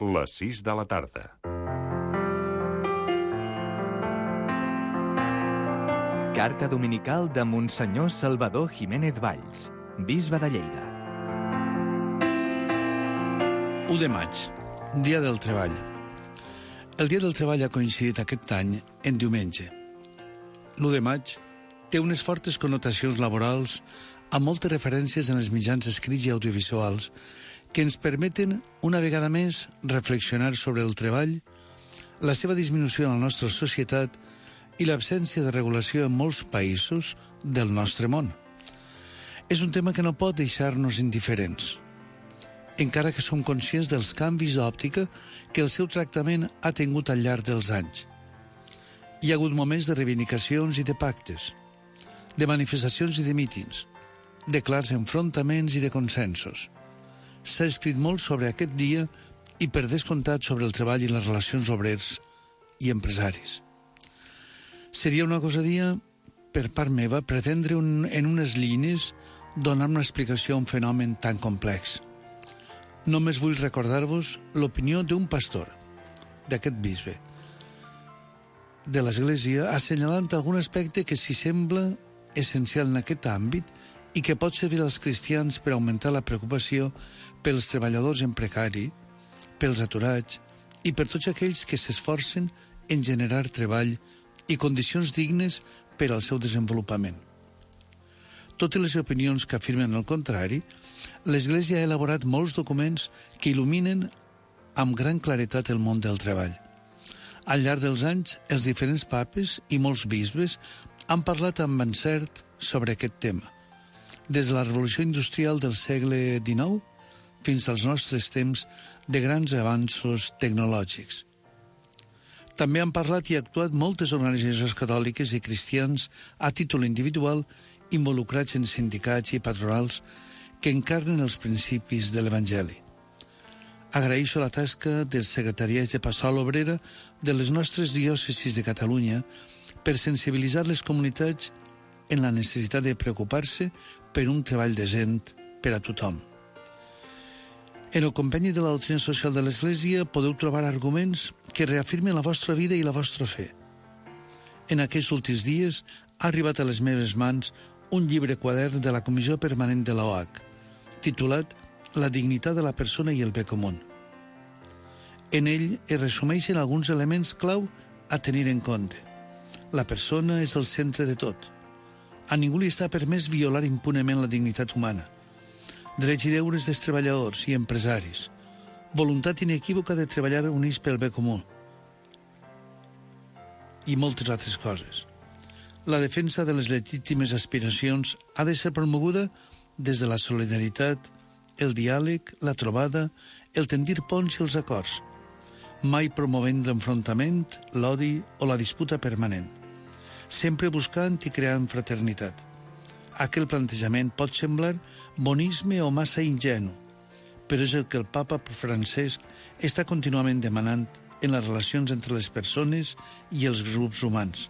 Les 6 de la tarda. Carta dominical de Monsenyor Salvador Jiménez Valls, bisbe de Lleida. 1 de maig, Dia del Treball. El Dia del Treball ha coincidit aquest any en diumenge. L'1 de maig té unes fortes connotacions laborals amb moltes referències en els mitjans escrits i audiovisuals que ens permeten, una vegada més, reflexionar sobre el treball, la seva disminució en la nostra societat i l'absència de regulació en molts països del nostre món. És un tema que no pot deixar-nos indiferents, encara que som conscients dels canvis d'òptica que el seu tractament ha tingut al llarg dels anys. Hi ha hagut moments de reivindicacions i de pactes, de manifestacions i de mítings, de clars enfrontaments i de consensos. S'ha escrit molt sobre aquest dia i, per descomptat, sobre el treball i les relacions obrers i empresaris. Seria una gosadia, per part meva, pretendre en unes línies donar una explicació a un fenomen tan complex. Només vull recordar-vos l'opinió d'un pastor, d'aquest bisbe, de l'Església, assenyalant algun aspecte que s'hi sembla essencial en aquest àmbit i que pot servir als cristians per augmentar la preocupació pels treballadors en precari, pels aturats i per tots aquells que s'esforcen en generar treball i condicions dignes per al seu desenvolupament. Totes les opinions que afirmen el contrari, l'Església ha elaborat molts documents que il·luminen amb gran claretat el món del treball. Al llarg dels anys, els diferents papes i molts bisbes han parlat amb encert sobre aquest tema, des de la revolució industrial del segle XIX fins als nostres temps de grans avanços tecnològics. També han parlat i actuat moltes organitzacions catòliques i cristians a títol individual involucrats en sindicats i patronals que encarnen els principis de l'Evangeli. Agraeixo la tasca dels secretariats de Pastoral Obrera de les nostres diòcesis de Catalunya per sensibilitzar les comunitats en la necessitat de preocupar-se per un treball decent per a tothom. En el compendi de la doctrina social de l'Església podeu trobar arguments que reafirmen la vostra vida i la vostra fe. En aquests últims dies ha arribat a les meves mans un llibre quadern de la Comissió Permanent de l'OH, titulat La dignitat de la persona i el bé comú. En ell es resumeixen alguns elements clau a tenir en compte. La persona és el centre de tot. A ningú li està permès violar impunement la dignitat humana. Drets i deures dels treballadors i empresaris. Voluntat inequívoca de treballar units pel bé comú. I moltes altres coses. La defensa de les legítimes aspiracions ha de ser promoguda des de la solidaritat, el diàleg, la trobada, el tendir ponts i els acords, mai promovent l'enfrontament, l'odi o la disputa permanent, sempre buscant i creant fraternitat. Aquell plantejament pot semblar bonisme o massa ingenu, però és el que el papa Francesc està contínuament demanant en les relacions entre les persones i els grups humans,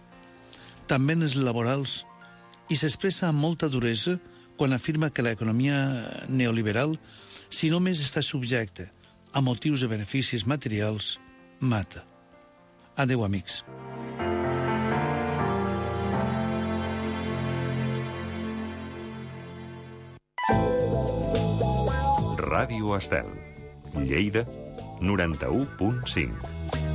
també en els laborals, i s'expressa amb molta duresa quan afirma que l'economia neoliberal, si només està subjecta a motius de beneficis materials, mata. Adéu, amics. Ràdio Estel, Lleida, 91.5.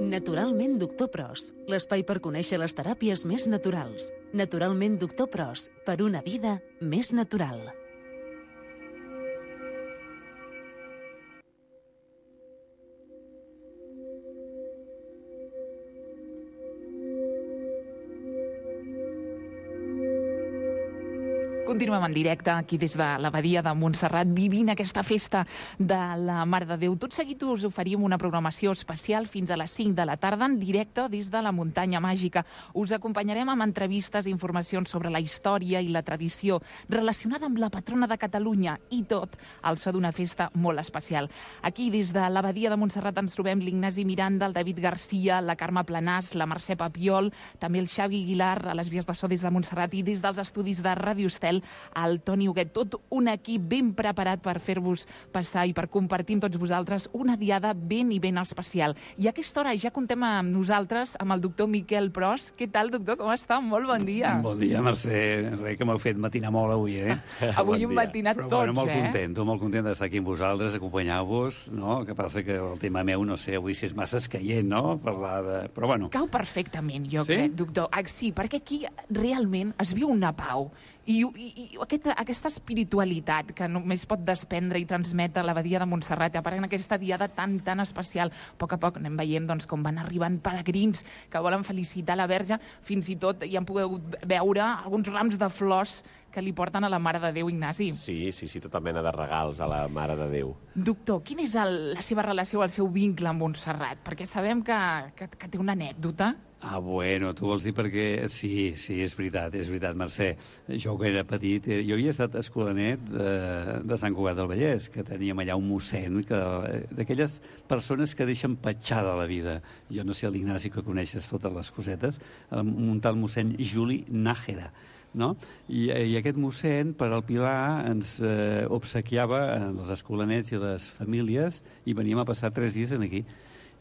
Naturalment Doctor Pros, l'espai per conèixer les teràpies més naturals. Naturalment Doctor Pros, per una vida més natural. Continuem en directe aquí des de l'Abadia de Montserrat, vivint aquesta festa de la Mare de Déu. Tot seguit us oferim una programació especial fins a les 5 de la tarda en directe des de la Muntanya Màgica. Us acompanyarem amb entrevistes i informacions sobre la història i la tradició relacionada amb la patrona de Catalunya i tot al so d'una festa molt especial. Aquí des de l'Abadia de Montserrat ens trobem l'Ignasi Miranda, el David Garcia, la Carme Planàs, la Mercè Papiol, també el Xavi Aguilar a les vies de so des de Montserrat i des dels estudis de Ràdio Estel Miquel, el Toni Huguet, tot un equip ben preparat per fer-vos passar i per compartir amb tots vosaltres una diada ben i ben especial. I a aquesta hora ja contem amb nosaltres, amb el doctor Miquel Pros. Què tal, doctor? Com està? Molt bon dia. Bon dia, Mercè. Res que m'heu fet matinar molt avui, Avui hem matinat tots, Però, bueno, molt content d'estar aquí amb vosaltres, acompanyar-vos, no? Que passa que el tema meu, no sé, avui si és massa escaient, no? Parlar de... Però bueno. Cau perfectament, jo crec, doctor. Sí, perquè aquí realment es viu una pau. I aquesta espiritualitat que només pot desprendre i transmetre l'abadia de Montserrat, a part en aquesta diada tan especial, a poc anem veient doncs, com van arribant peregrins que volen felicitar la Verge, fins i tot hi han pogut veure alguns rams de flors que li porten a la Mare de Déu, Ignasi. Sí, tota mena de regals a la Mare de Déu. Doctor, quina és la seva relació, el seu vincle amb Montserrat? Perquè sabem que té una anècdota. Bueno, tu vols dir perquè... Sí, és veritat, Mercè. Jo, quan era petit, jo havia estat escolanet de Sant Cugat del Vallès, que teníem allà un mossèn, d'aquelles persones que deixen petjada la vida. Jo no sé, l'Ignasi, que coneixes totes les cosetes, un tal mossèn Juli Nájera, no? I aquest mossèn, per al Pilar, ens obsequiava els escolanets i les famílies i veníem a passar 3 dies aquí.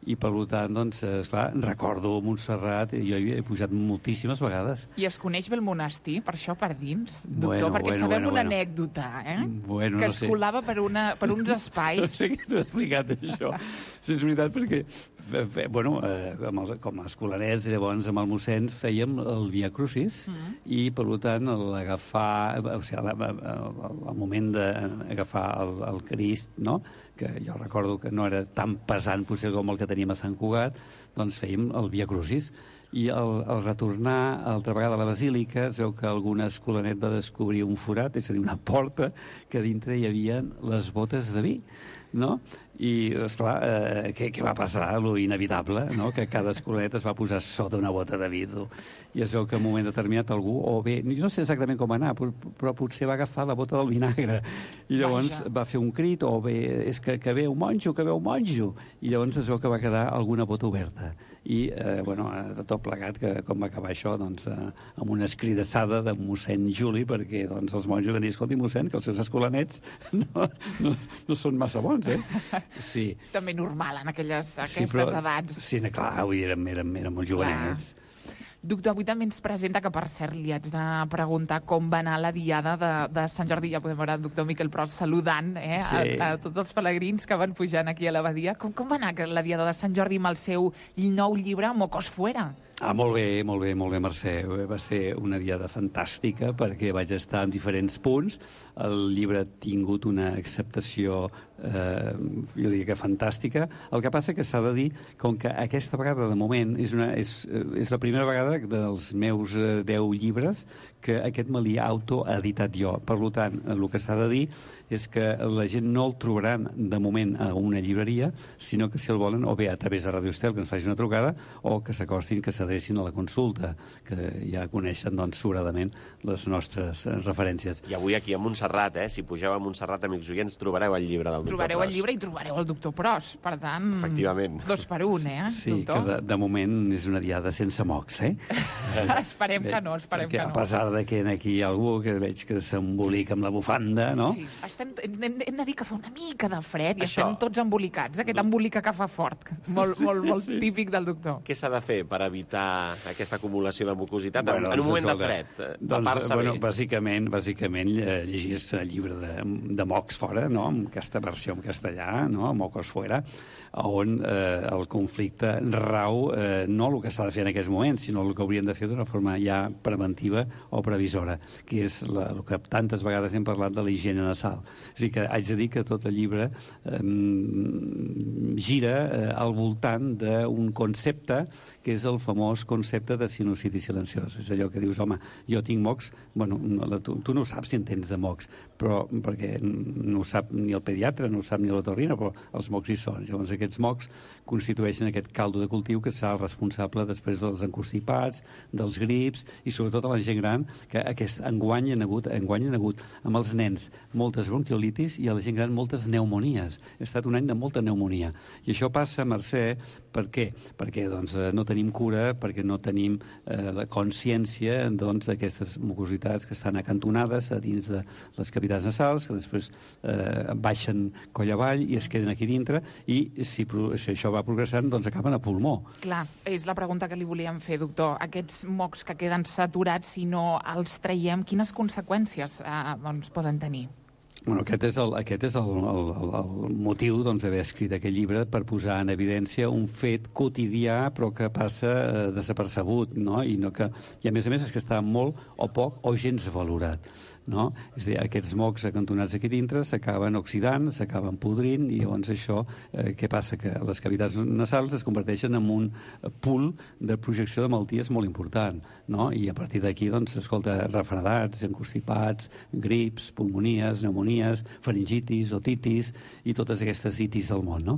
I, per tant, doncs, esclar, recordo Montserrat, jo hi he pujat moltíssimes vegades. I es coneix bé el monestir, per això, per dins, doctor? Perquè sabem una anècdota, que es colava per uns espais. No sé què t'ho he explicat, això. Sí, és veritat, perquè, com a escolanets, llavors, amb el mossèn, fèiem el Via Crucis, i, per tant, l'agafar, o sigui, el moment d'agafar el Crist, no?, que jo recordo que no era tan pesant potser com el que teníem a Sant Cugat, doncs fèiem el Via Crucis. I al retornar altra vegada a la Basílica es veu que algun escolanet va descobrir un forat, és a dir, una porta, que dintre hi havia les botes de vi, no? I, esclar, què va passar? Lo inevitable, no? Que cada escolanet es va posar sota una bota de vi. I es veu que en un moment determinat algú, o bé, jo no sé exactament com anar, però potser va agafar la bota del vinagre. I llavors va fer un crit, o bé, és que veu monjo, que veu monjo. I llavors es veu que va quedar alguna bota oberta. I, de tot plegat, que com va acabar això, doncs, amb una escridassada de mossèn Juli, perquè doncs, els monjos van dir, escolti, mossèn, que els seus escolanets no són massa bons, Sí. També normal en aquestes edats. Sí, clar, érem molt jovenets. Doctor, avui també ens presenta, que per cert li haig de preguntar com va anar la diada de Sant Jordi. Ja podem veure el doctor Miquel Pros saludant a tots els pelegrins que van pujant aquí a l'abadia. Com va anar la diada de Sant Jordi amb el seu nou llibre, Mocos Fuera? Molt bé, Mercè. Va ser una diada fantàstica perquè vaig estar en diferents punts. El llibre ha tingut una acceptació, jo diria que fantàstica. El que passa que s'ha de dir, com que aquesta vegada, de moment, és la primera vegada dels meus 10 llibres que aquest me l'he autoeditat jo. Per tant, el que s'ha de dir és que la gent no el trobaran de moment a una llibreria, sinó que si el volen, o bé a través de Radio Estel, que ens faci una trucada, o que s'acostin, que s'adrecin a la consulta, que ja coneixen, doncs, sobradament les nostres referències. I avui aquí a Montserrat, si pugeu a Montserrat, amics oients, trobareu el llibre del doctor Pros. Trobareu el llibre i trobareu el doctor Pros. Per tant, efectivament, 2 per 1, Sí, doctor? Que de moment és una diada sense mocs, Esperem que no, Perquè a pesar de que aquí hi ha algú que veig que s'embolica amb la bufanda, no? Sí, hem de dir que fa una mica de fred i estem tots embolicats, aquest embolica que fa fort, molt típic del doctor. Què s'ha de fer per evitar aquesta acumulació de mucositat en un moment de fred? Bàsicament llegir-se el llibre de Mocs Fora, no? Amb aquesta versió en castellà, no? Mocos Fuera, on el conflicte rau no el que s'ha de fer en aquests moments, sinó el que haurien de fer d'una forma ja preventiva o previsora, que és el que tantes vegades hem parlat de la higiene nasal. És a dir, que haig de dir que tot el llibre gira al voltant d'un concepte que és el famós concepte de sinusitis silenciós. És allò que dius, home, jo tinc mocs, tu no saps si en tens de mocs, però perquè no ho sap ni el pediatre, no ho sap ni l'otorrino, però els mocs hi són. Llavors aquests mocs constitueixen aquest caldo de cultiu que serà el responsable després dels encostipats, dels grips i sobretot a la gent gran, que enguany hi ha hagut amb els nens moltes bronquiolitis i a la gent gran moltes pneumonies. Ha estat un any de molta pneumonia. I això passa, Mercè, per què? Perquè doncs, no tenim cura perquè no tenim la consciència d'aquestes mucositats que estan acantonades a dins de les cavitats nasals, que després baixen coll avall i es queden aquí dintre, i si això va progressant, doncs acaben a pulmó. Clar, és la pregunta que li volíem fer, doctor. Aquests mocs que queden saturats, si no els traiem, quines conseqüències poden tenir? Bueno, aquest és el motiu d'haver escrit aquest llibre, per posar en evidència un fet quotidià però que passa desapercebut, no? I a més és que està molt o poc o gens valorat, no? És a dir, aquests mocs acantonats aquí dintre s'acaben oxidant, s'acaben podrint, i llavors això, què passa? Que les cavitats nasals es converteixen en un pool de projecció de malalties molt important, no? I a partir d'aquí, escolta, refredats, encostipats, grips, pulmonies, pneumonies, faringitis, otitis i totes aquestes itis del món, no?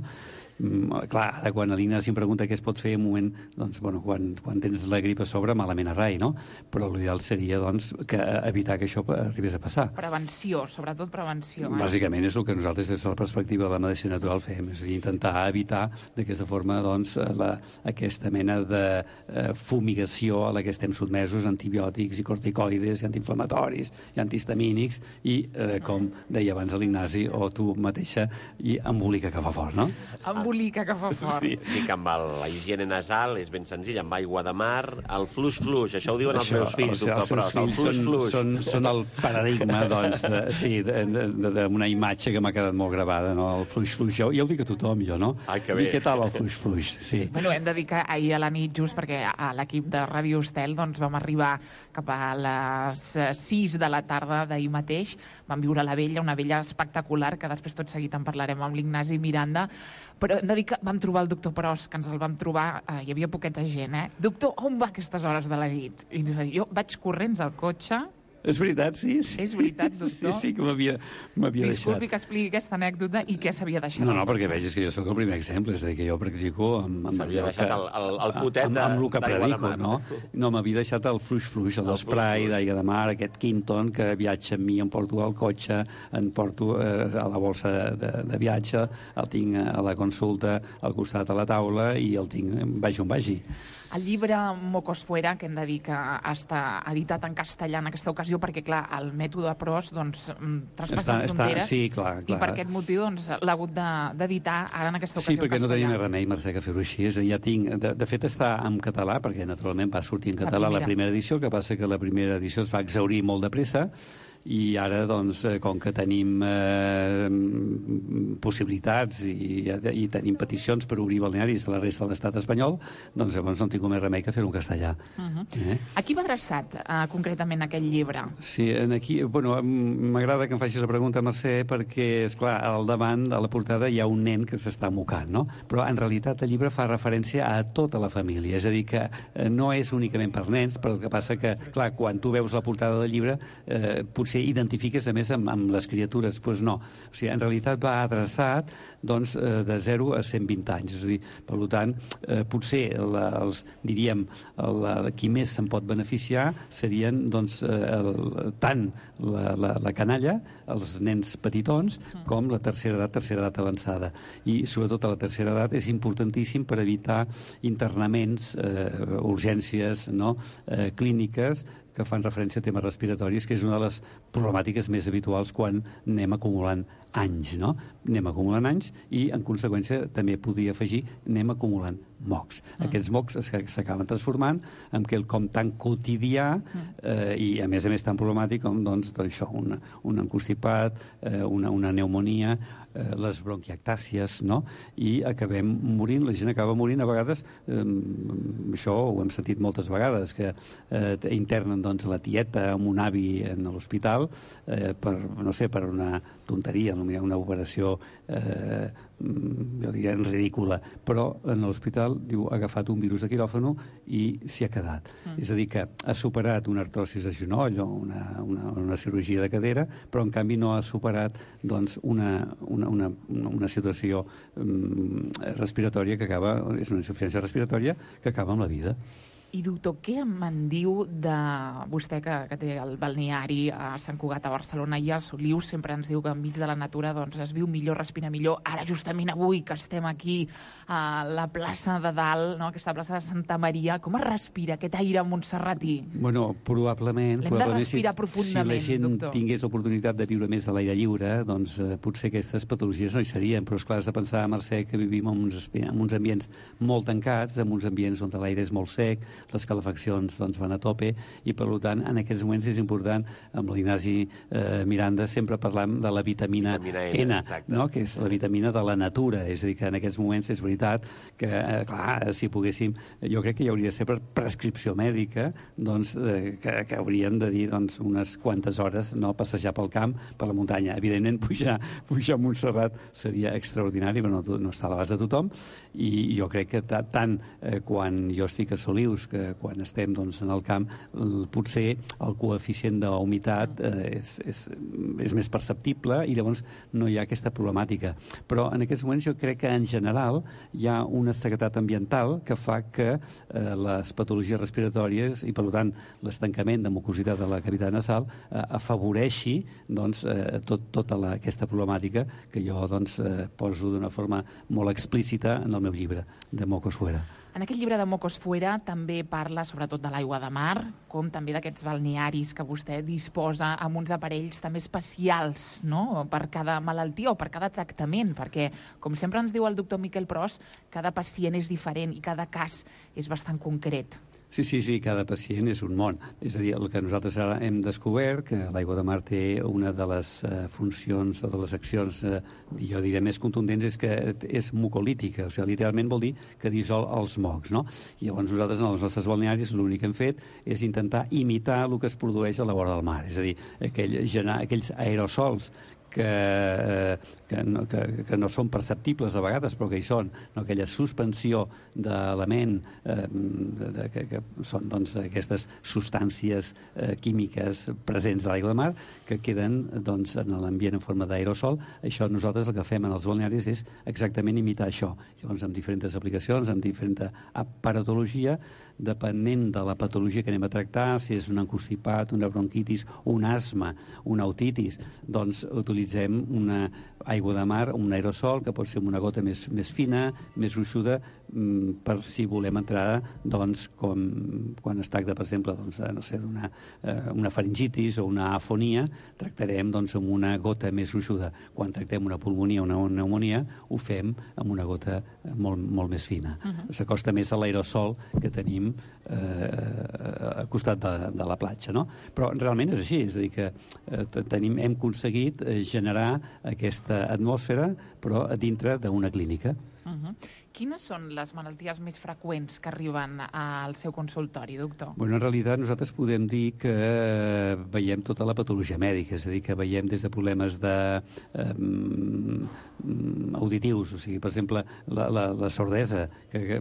Clar, quan l'Ignasi em pregunta què es pot fer en un moment, doncs, bueno, quan tens la grip a sobre, malament a rai, no? Però l'ideal seria, doncs, evitar que això arribés a passar. Prevenció, sobretot prevenció. Bàsicament és el que nosaltres, des de la perspectiva de la medicina natural, fem, és a dir, intentar evitar d'aquesta forma, doncs, aquesta mena de fumigació a la que estem sotmesos, antibiòtics i corticoides i antiinflamatoris i antihistamínics i, com deia abans l'Ignasi o tu mateixa, i embolica que fa fort, no? Embolica que fa fort. Sí. Dic, amb la higiene nasal és ben senzill, amb aigua de mar, el fluix-fluix, això ho diuen els meus fills, doctor Pros, el fluix-fluix. Són el paradigma, doncs, d'una imatge que m'ha quedat molt gravada, no? El fluix-fluix, ja ho dic a tothom, jo, no? Ai, que bé. I què tal el fluix-fluix? Sí. Bueno, hem de dir que ahir a la nit, just perquè a l'equip de Ràdio Estel vam arribar cap a les 6 de la tarda d'ahir mateix, vam viure la vella, una vella espectacular, que després tot seguit en parlarem amb l'Ignasi Miranda, però hem de dir que vam trobar el doctor Pros, que ens el vam trobar, hi havia poqueta gent, Doctor, on va a aquestes hores de la nit? I ens va dir, jo vaig corrents al cotxe. És veritat, sí. És veritat, doctor? Sí, que m'havia deixat. Disculpi que expliqui aquesta anècdota i què s'havia deixat. No, perquè vegis que jo sóc el primer exemple, és a dir, que jo practico s'havia deixat el potet amb el que predico, no? No, m'havia deixat el fluix-fluix, l'esprai d'aigua de mar, aquest Quinton que viatja amb mi, em porto al cotxe, em porto a la bolsa de viatge, el tinc a la consulta al costat a la taula i el tinc, vagi on vagi. El llibre Mocos Fuera, que hem de dir que està editat en castellà en aquesta ocasió, perquè, clar, el mètode Pros traspassa fronteres. Sí, clar. I per aquest motiu l'ha hagut d'editar ara en aquesta ocasió. Sí, perquè no tenia més remei, Mercè, que fer-ho així. Ja tinc... De fet, està en català, perquè naturalment va sortir en català la primera edició, el que passa que la primera edició es va exhaurir molt de pressa, i ara, doncs, com que tenim possibilitats i tenim peticions per obrir balnearis a la resta de l'estat espanyol, doncs llavors no tinc més remei que fer-ho en castellà. A qui va adreçat, concretament, aquest llibre? Sí, aquí, bueno, m'agrada que em facis la pregunta, Mercè, perquè, esclar, al davant, a la portada, hi ha un nen que s'està mocant, no? Però, en realitat, el llibre fa referència a tota la família, és a dir, que no és únicament per nens, però el que passa que, clar, quan tu veus la portada del llibre, potser identifiques, a més, amb les criatures. Doncs no. O sigui, en realitat va adreçat, doncs, de 0 a 120 anys. És a dir, per tant, potser, diríem, qui més se'n pot beneficiar serien, doncs, tant la canalla, els nens petitons, com la tercera edat avançada. I, sobretot, a la tercera edat és importantíssim per evitar internaments, urgències, no?, clíniques, que fan referència a temes respiratoris, que és una de les problemàtiques més habituals quan anem acumulant anys, no? Anem acumulant anys i, en conseqüència, també podria afegir, anem acumulant mocs. Aquests mocs s'acaben transformant en quelcom tan quotidià i, a més, tan problemàtic com, doncs, això, un encostipat, una pneumonia, les bronquiectàcies, no? I acabem morint, la gent acaba morint, a vegades, això ho hem sentit moltes vegades, que internen, doncs, la tieta amb un avi en l'hospital per, no sé, per una tonteria, una operació jo diria ridícula, però en l'hospital diu, ha agafat un virus de quiròfano i s'hi ha quedat. És a dir, que ha superat una artrosi de genoll o una cirurgia de cadera, però en canvi no ha superat, doncs, una situació respiratòria que acaba, és una insuficiència respiratòria que acaba amb la vida. I, doctor, què me'n diu de vostè que té el balneari a Sant Cugat, a Barcelona, i a Solius sempre ens diu que enmig de la natura doncs, es viu millor, respira millor. Ara, justament avui, que estem aquí a la plaça de dalt, no? Aquesta plaça de Santa Maria, com es respira aquest aire montserratí? Bueno, probablement... L'hem de respirar profundament, doctor. Si la gent doctor. tingués l'oportunitat de viure més a l'aire lliure, doncs potser aquestes patologies no hi serien, però esclar, has de pensar, Mercè, que vivim en uns ambients molt tancats, en uns ambients on l'aire és molt sec, les calefaccions doncs, van a tope, i per tant en aquests moments és important, amb l'Ignasi Miranda sempre parlam de la vitamina N, no? Que és la vitamina de la natura, és a dir, que en aquests moments és veritat que, clar, si poguéssim, jo crec que hi hauria de ser per prescripció mèdica, doncs, que haurien de dir doncs, unes quantes hores no passejar pel camp, per la muntanya. Evidentment, pujar a Montserrat seria extraordinari, però no està a l'abast de tothom, i jo crec que tant quan jo estic a Solius, que quan estem doncs, en el camp, potser el coeficient d'humitat és més perceptible i llavors no hi ha aquesta problemàtica. Però en aquests moments jo crec que en general hi ha una seguretat ambiental que fa que les patologies respiratòries i per tant l'estancament de mucositat de la cavitat nasal afavoreixi doncs, tota aquesta problemàtica que jo doncs, poso d'una forma molt explícita en el meu llibre de Mocos Fuera. En aquest llibre de Mocos Fuera també parla sobretot de l'aigua de mar, com també d'aquests balnearis que vostè disposa amb uns aparells també especials, no?, per cada malaltia o per cada tractament, perquè, com sempre ens diu el doctor Miquel Pros, cada pacient és diferent i cada cas és bastant concret. Sí, cada pacient és un món. És a dir, el que nosaltres ara hem descobert, que l'aigua de mar té una de les funcions o de les accions, jo diré, més contundents, és que és mucolítica, o sigui, literalment vol dir que dissol els mocs, no? I llavors nosaltres, en els nostres balnearis, l'únic que hem fet és intentar imitar el que es produeix a la vora del mar, és a dir, aquells aerosols que no són perceptibles a vegades, però que hi són, no? Aquella suspensió d'element que són doncs, aquestes substàncies químiques presents a l'aigua de mar que queden doncs, en l'ambient en forma d'aerosol. Això nosaltres el que fem en els balnearis és exactament imitar això. Llavors, amb diferents aplicacions, amb diferent aparatologia, depenent de la patologia que anem a tractar, si és un encostipat, una bronquitis, un asma, una otitis, doncs utilitzem una aigua de mar, un aerosol, que pot ser una gota més fina, més gruixuda, per si volem entrar, doncs, com quan es tracta, per exemple, doncs, no sé, una faringitis o una afonia, tractarem doncs, amb una gota més gruixuda. Quan tractem una pulmonia o una pneumonia, ho fem amb una gota molt més fina. S'acosta més a l'aerosol que tenim al costat de la platja, no? Però realment és així, és a dir, que hem aconseguit generar aquesta atmosfera, però dintre d'una clínica. Quines són les malalties més freqüents que arriben al seu consultori, doctor? Bueno, en realitat nosaltres podem dir que veiem tota la patologia mèdica, és a dir, que veiem des de problemes auditius, o sigui, per exemple, la sordesa, que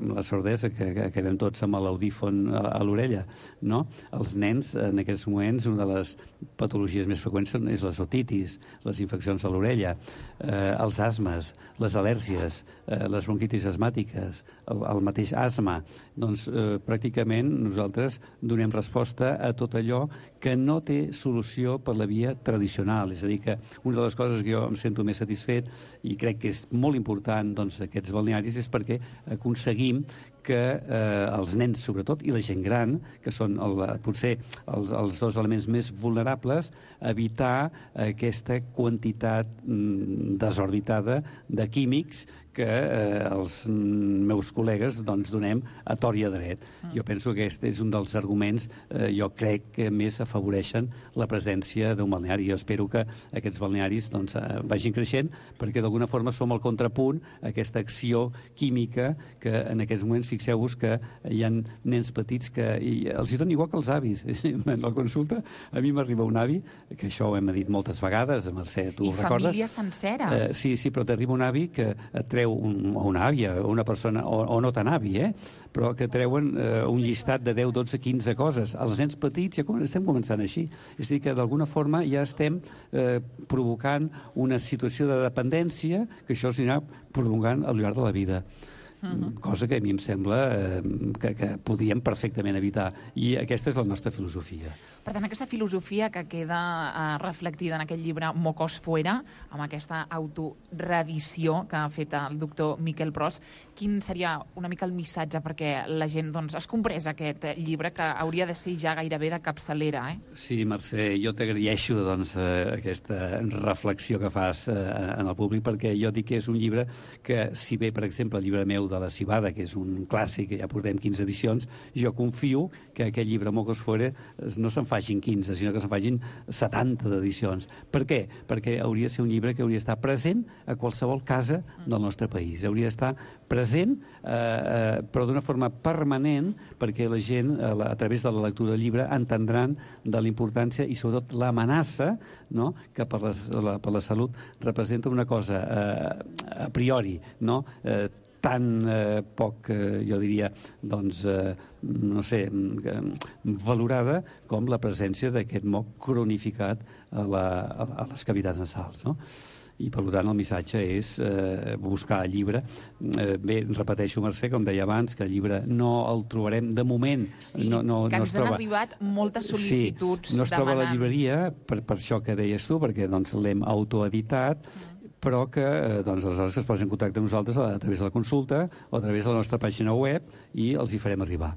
veiem tots amb l'audífon a l'orella, no? Els nens, en aquests moments, una de les patologies més freqüents és les otitis, les infeccions a l'orella, els asmes, les al·lèrgies, les bronquitis asmàtiques, el mateix asma. Doncs pràcticament nosaltres donem resposta a tot allò que no té solució per la via tradicional. És a dir, que una de les coses que jo em sento més satisfet i crec que és molt important doncs, aquests balnearis és perquè aconseguim que els nens, sobretot, i la gent gran, que són potser els dos elements més vulnerables, evitar aquesta quantitat desorbitada de químics que els meus col·legues doncs, donem a tort i a dret. Jo penso que aquest és un dels arguments, jo crec que més afavoreixen la presència d'un balneari. Jo espero que aquests balnearis doncs, vagin creixent, perquè d'alguna forma som el contrapunt a aquesta acció química que en aquests moments, fixeu-vos que hi ha nens petits que els hi dona igual que els avis. En la consulta a mi m'arriba un avi, que això ho hem dit moltes vegades, Mercè, tu ho recordes? I famílies senceres. Sí, però t'arriba un avi que et treu una àvia, una persona, o no tan avi, però que treuen un llistat de 10, 12, 15 coses. Els nens petits ja estem començant així. És a dir, que d'alguna forma ja estem provocant una situació de dependència que això s'anirà prolongant al llarg de la vida. cosa que a mi em sembla que podríem perfectament evitar. I aquesta és la nostra filosofia. Per tant, aquesta filosofia que queda reflectida en aquest llibre Mocos Fuera, amb aquesta autoreedició que ha fet el doctor Miquel Pros, quin seria una mica el missatge perquè la gent es comprés aquest llibre que hauria de ser ja gairebé de capçalera? Sí, Mercè, jo t'agraeixo aquesta reflexió que fas en el públic, perquè jo dic que és un llibre que, si bé, per exemple, el llibre meu de La Cibada, que és un clàssic, que ja portem 15 edicions, jo confio que aquest llibre Mocos Fuera no se'n facin 15, sinó que se'n facin 70 d'edicions. Per què? Perquè hauria de ser un llibre que hauria d'estar present a qualsevol casa del nostre país. Hauria d'estar present, però d'una forma permanent, perquè la gent, a través de la lectura del llibre, entendran de la importància i, sobretot, l'amenaça, no?, que per la salut representa una cosa a priori, no?, tan poc, jo diria, no sé, valorada com la presència d'aquest moc cronificat a les cavitats nasals, no? I, per tant, el missatge és buscar el llibre. Bé, repeteixo, Mercè, com deia abans, que el llibre no el trobarem de moment. Sí, que ens han arribat moltes sol·licituds demanant. No es troba a la llibreria, per això que deies tu, perquè l'hem autoeditat, però que aleshores es posin en contacte amb nosaltres a través de la consulta o a través de la nostra pàgina web i els hi farem arribar.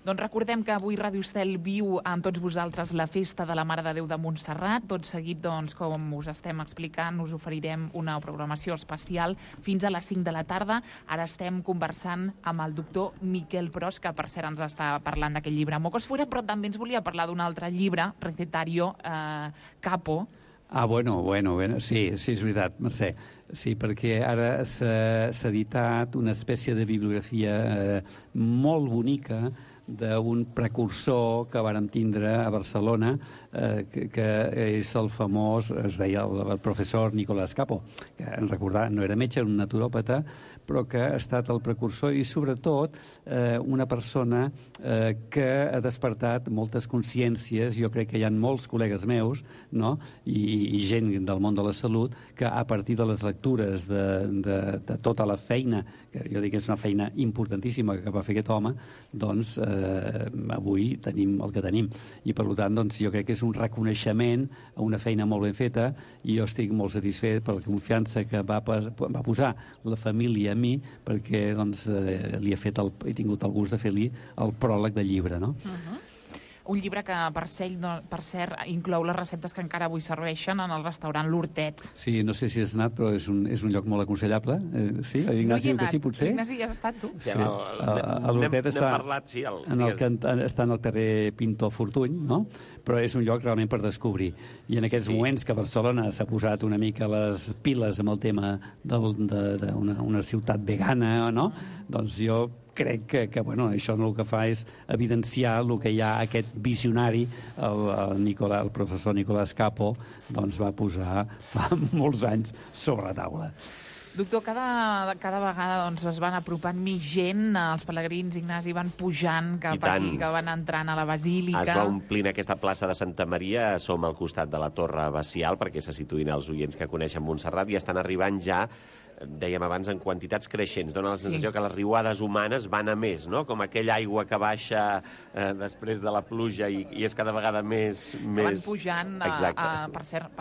Doncs recordem que avui Ràdio Estel viu amb tots vosaltres la festa de la Mare de Déu de Montserrat. Tot seguit, com us estem explicant, us oferirem una programació especial fins a les 5 de la tarda. Ara estem conversant amb el doctor Miquel Pros, que per cert ens està parlant d'aquest llibre Mocos Fuera, però també ens volia parlar d'un altre llibre, Recetario Capo. Bueno, sí, és veritat, Mercè. Sí, perquè ara s'ha editat una espècie de bibliografia molt bonica d'un precursor que vàrem tindre a Barcelona, que és el famós, es deia el professor Nicolás Capo, que en recordar no era metge, era un naturòpata, però que ha estat el precursor i, sobretot, una persona que ha despertat moltes consciències. Jo crec que hi ha molts col·legues meus, no?, i gent del món de la salut, que a partir de les lectures de tota la feina, que jo dic que és una feina importantíssima que va fer aquest home, doncs avui tenim el que tenim. I, per tant, jo crec que és un reconeixement a una feina molt ben feta, i jo estic molt satisfet per la confiança que va posar la família a mi, perquè he tingut el gust de fer-li el pròleg del llibre, no? Un llibre que, per cert, inclou les receptes que encara avui serveixen en el restaurant L'Hortet. Sí, no sé si has anat, però és un lloc molt aconsellable. Sí? Ignasi, que sí, potser? Ignasi, ja has estat, tu? Sí. L'Hortet està en el carrer Pintor Fortuny, no?, però és un lloc realment per descobrir. I en aquests moments que Barcelona s'ha posat una mica les piles amb el tema d'una ciutat vegana, no?, doncs jo crec que això el que fa és evidenciar el que ja aquest visionari, el professor Nicolás Capo, va posar fa molts anys sobre la taula. Doctor, cada vegada es van apropant més gent, els pelegrins, Ignasi, van pujant cap aquí, que van entrant a la basílica. Es va omplint aquesta plaça de Santa Maria, som al costat de la Torre Abacial, perquè se situïn els oients que coneixen Montserrat, i estan arribant ja, dèiem abans, en quantitats creixents. Dóna la sensació que les riuades humanes van a més, no?, com aquella aigua que baixa després de la pluja i és cada vegada més... Van pujant, per cert,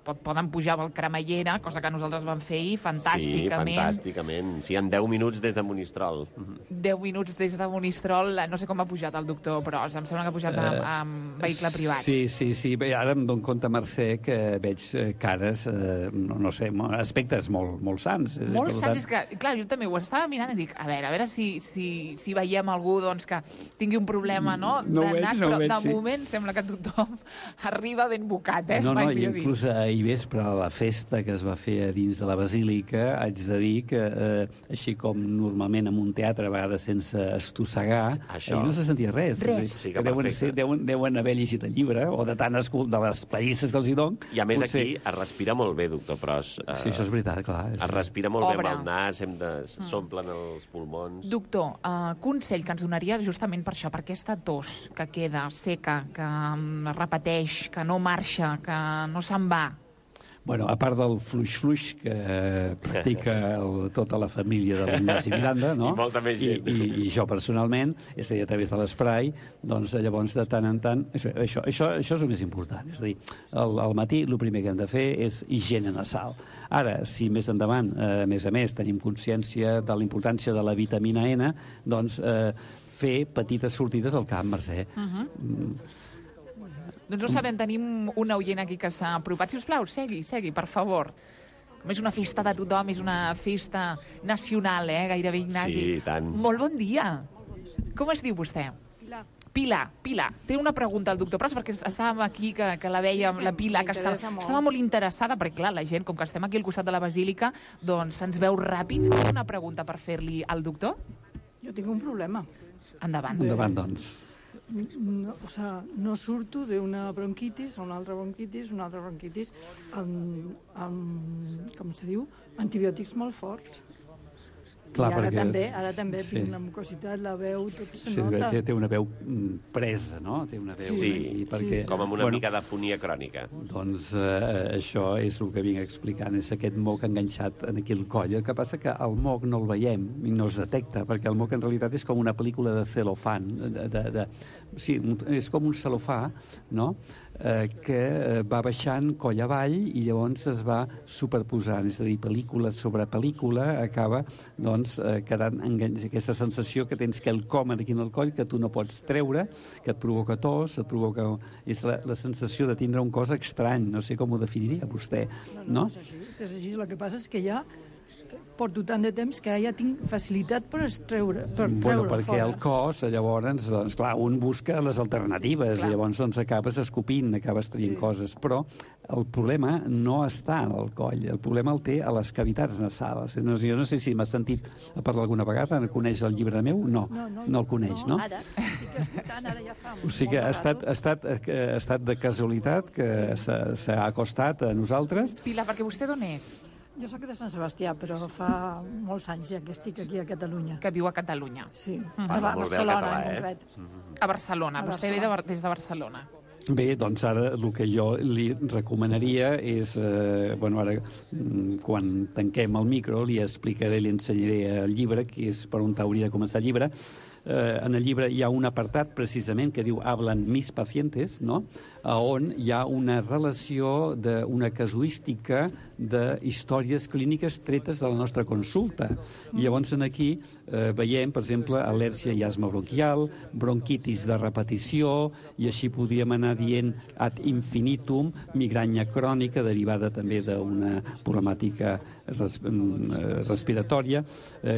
poden pujar pel Cremallera, cosa que nosaltres vam fer ahir, fantàsticament. Sí, fantàsticament. Sí, en 10 minuts des de Monistrol. 10 minuts des de Monistrol. No sé com ha pujat el doctor, però em sembla que ha pujat amb vehicle privat. Sí. Bé, ara em dono compte, Mercè, que veig cares, no sé, aspectes molt sants. Molt sants, és que, clar, jo també ho estava mirant i dic, a veure si veiem algú que tingui un problema, no?, de nas, però de moment sembla que tothom arriba ben bocat, No, inclús ahir vespre, a la festa que es va fer a dins de la basílica, haig de dir que, així com normalment en un teatre, a vegades sense estossegar, ahir no se sentia res. Sí, que deuen haver llegit el llibre, o de tant de les pallisses que els hi donen. I a més aquí es respira molt bé, doctor Pros. Sí, això és veritat, clar. Es respira molt bé amb el nas, s'omplen els pulmons. Doctor, consell que ens donaria justament per això, per aquesta tos que queda seca, que repeteix, que no marxa, que no se'n va. Bueno, a part del fluix-fluix que practica tota la família de l'Ignasi Miranda, no? I molta més gent. I jo personalment, és a dir, a través de l'esprai, doncs llavors de tant en tant... Això és el més important. És a dir, al matí el primer que hem de fer és higiene nasal. Ara, si més endavant, a més, tenim consciència de la importància de la vitamina N, doncs fer petites sortides al camp, Mercè. Doncs no sabem, tenim un oient aquí que s'ha apropat. Si us plau, segui, per favor. Com és una festa de tothom, és una festa nacional, gairebé, Ignasi. Sí, i tant. Molt bon dia. Com es diu vostè? Pilar. Té una pregunta al doctor Pros, perquè estàvem aquí, que la vèiem, la Pilar, que estava molt interessada, perquè clar, la gent, com que estem aquí al costat de la Basílica, doncs se'ns veu ràpid. Té una pregunta per fer-li al doctor? Jo tinc un problema. Endavant, doncs. No surto d'una bronquitis a una altra bronquitis, amb com se diu, antibiòtics molt forts. Clar, I ara també tinc una mucositat, la veu, tot se nota. Té una veu presa, no? Té una veu... Com amb una mica d'afonia crònica. Doncs això és el que vinc explicant, és aquest moc enganxat aquí al coll. El que passa que el moc no el veiem i no es detecta, perquè el moc en realitat és com una pel·lícula de celofan. Sí, és com un celofà, no?, que va baixant coll avall i llavors es va superposant, és a dir, pel·lícula sobre pel·lícula acaba doncs quedant aquesta sensació que tens que el com aquí en el coll que tu no pots treure, que et provoca tos, és la sensació de tindre un cos estrany, no sé com ho definiria vostè, no? És així, el que passa és que ja porto tant de temps que ja tinc facilitat per treure perquè fora. el cos, llavors, doncs, clar, un busca les alternatives, i llavors doncs, acabes escopint, acabes traient coses, però el problema no està en el coll, el problema el té a les cavitats nasals. Jo no sé si m'has sentit a parlar alguna vegada, coneix el llibre meu? No el coneix, no? Ara estic escoltant, ara ja fa o sigui que ha estat de casualitat que s'ha acostat a nosaltres. Pilar, perquè vostè d'on és? Jo soc de Sant Sebastià, però fa molts anys ja que estic aquí a Catalunya. Que viu a Catalunya. Sí, a Barcelona en concret. A Barcelona, vostè ve des de Barcelona. Bé, doncs ara el que jo li recomanaria és, ara quan tanquem el micro li explicaré, li ensenyaré el llibre, que és per on hauria de començar el llibre. En el llibre hi ha un apartat precisament que diu «Hablan mis pacientes», no?, on hi ha una relació d'una casuística de històries clíniques tretes de la nostra consulta. I llavors aquí veiem, per exemple, al·lèrgia i asma bronquial, bronquitis de repetició, i així podríem anar dient ad infinitum, migranya crònica derivada també d'una problemàtica respiratòria,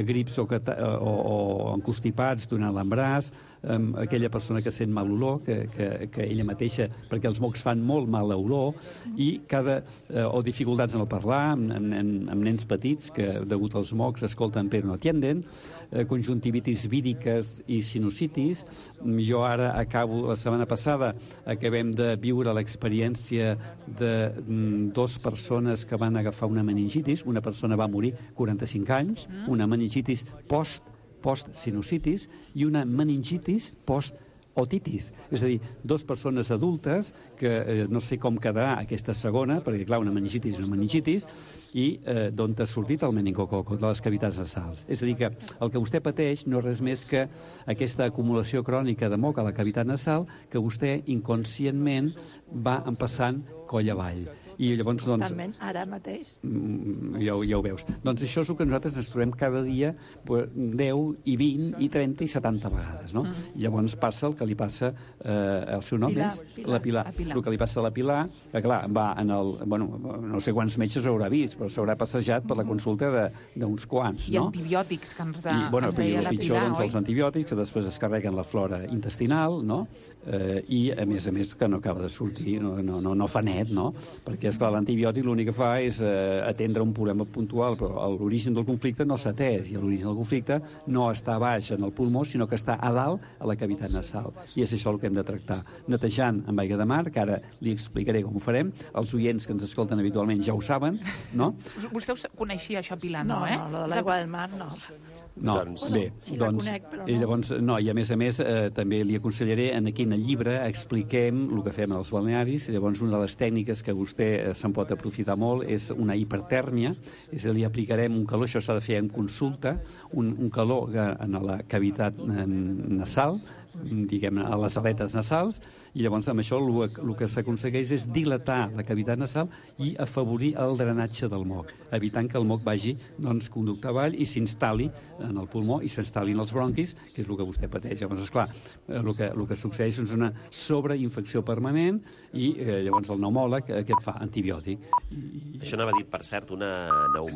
grips o encostipats durant l'embaràs, aquella persona que sent mal olor, que ella mateixa, perquè els mocs fan molt mal olor, o dificultats en el parlar, amb nens petits que, degut als mocs, escolten però no atienden, conjuntivitis víriques i sinusitis. Jo ara la setmana passada acabem de viure l'experiència de 2 persones que van agafar una meningitis. Una persona va morir 45 anys, una meningitis post-sinusitis i una meningitis post-otitis. És a dir, 2 persones adultes que no sé com quedarà aquesta segona, perquè clar, una meningitis és una meningitis, i d'on ha sortit el meningococ, de les cavitats nasals. És a dir, que el que vostè pateix no és res més que aquesta acumulació crònica de moc a la cavitat nasal que vostè inconscientment va empassant coll avall. I llavors, constantment, ara mateix. Ja ho veus. Doncs això és el que nosaltres ens trobem cada dia 10 i 20 i 30 i 70 vegades, no? I llavors passa el que li passa el seu nom és la Pilar. El que li passa a la Pilar, que clar, va en el... no sé quants metges haurà vist, però s'haurà passejat per la consulta d'uns quants, no? I antibiòtics, que ens deia la el pitjor, Pilar, doncs, els antibiòtics, que després es carreguen la flora intestinal, no? I, a més, que no acaba de sortir, no fa net, no? Perquè, esclar, l'antibiòtic l'únic que fa és atendre un problema puntual, però l'origen del conflicte no s'ha atès, i l'origen del conflicte no està a baix en el pulmó, sinó que està a dalt a la cavitat nasal. I és això el que hem de tractar. Netejant amb aigua de mar, que ara li explicaré com ho farem. Els oients que ens escolten habitualment ja ho saben, no? Vostè coneixia això, Pilar, no? No, l'aigua del mar no. No, bé, sí, la conec, però no. I llavors, i a més, també li aconsellaré, aquí en el llibre expliquem el que fem als balnearis, llavors una de les tècniques que vostè també se'n pot aprofitar molt, és una hipertèrmia, és a dir, aplicarem un calor, això s'ha de fer en consulta, un calor en la cavitat nasal, diguem, a les aletes nasals, i llavors amb això el que s'aconsegueix és dilatar la cavitat nasal i afavorir el drenatge del moc, evitant que el moc vagi conducte avall i s'instal·li en el pulmó i s'instal·li en els bronquis, que és el que vostè pateix. Llavors, esclar, el que succeeix és una sobreinfecció permanent i llavors el pneumòleg què et fa? Antibiòtic. Això anava dit, per cert, una pneumònia